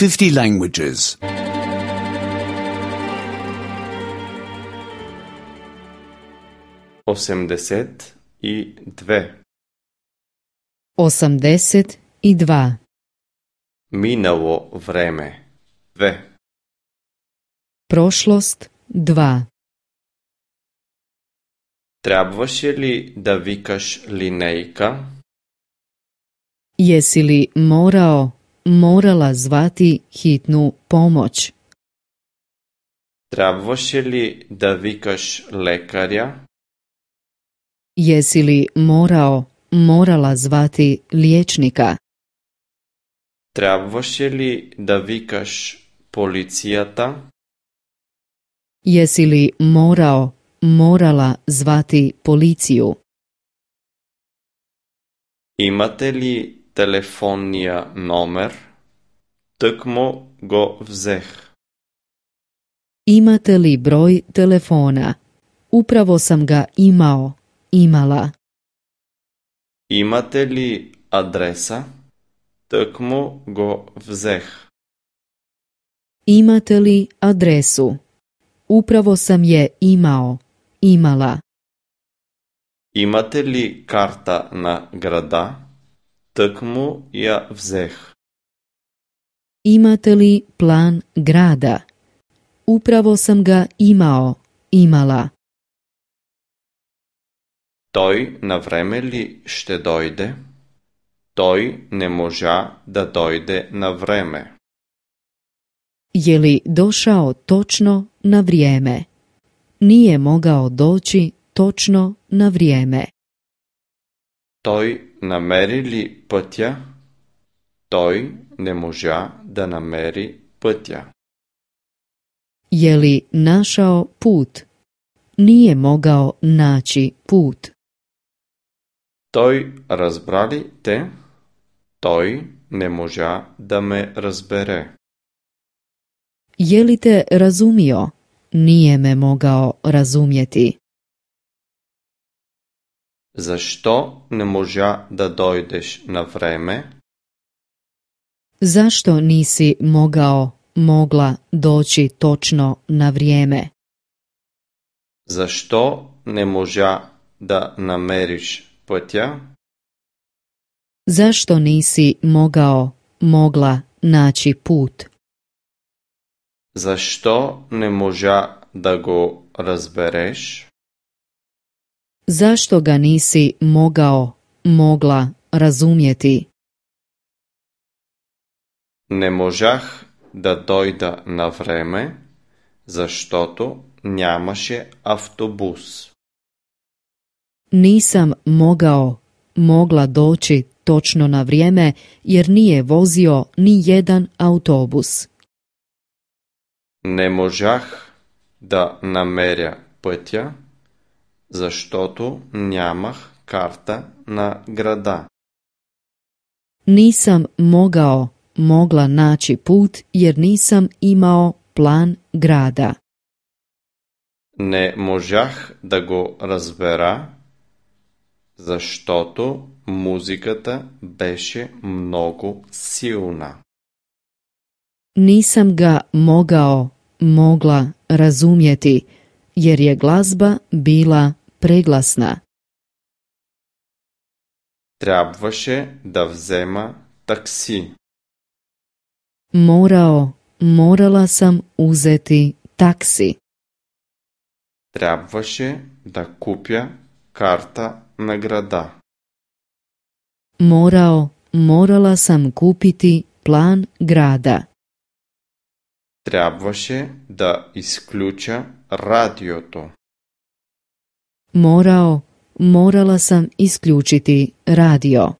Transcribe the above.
50 languages. 82. 82. Minalo vreme. 2. Prošlost 2. Трябваше ли да викаш линейка? Jesi li morala zvati hitnu pomoć? Трябваше ли да викаш лекаря? Jesi li morala zvati liječnika? Трябваше ли да викаш полицията? Jesi li morala zvati policiju? Имате ли телефонния номер? Тъкмо го взех. Imate li broj telefona? Upravo sam ga imala. Имате ли адреса? Тъкмо го взех. Imate li adresu? Upravo sam je imala. Имате ли карта на града? Тъкмо я взех. Imate li plan grada? Upravo sam ga imala. Той на време ли ще дойде? Той не можа да дойде на време. Je li došao točno na vrijeme? Nije mogao doći točno na vrijeme. Той намери ли пътя? Той не можа да намери пътя. Je li našao put? Nije mogao naći put. Той разбра ли те? Той не можа да ме разбере. Je li te razumio? Nije me mogao razumjeti. Защо не можа да дойдеш на време? Zašto nisi mogla doći točno na vrijeme? Защо не можа да намериш пътя? Zašto nisi mogla naći put? Защо не можа да го разбереш? Zašto ga nisi mogla razumjeti? Не можах да дойда на време, защото нямаше автобус. Nisam mogla doći točno na vrijeme jer nije vozio ni jedan autobus. Не можах да намеря пътя, защото нямах карта на града. Nisam mogla naći put jer nisam imao plan grada. Не можах да го разбера, защото музиката беше много силна. Nisam ga mogla razumjeti jer je glazba bila preglasna. Трябваше да взема такси. Morala sam uzeti taksi. Трябваше да купя карта на града. Morala sam kupiti plan grada. Трябваше да изключа радиото. Morala sam isključiti radio.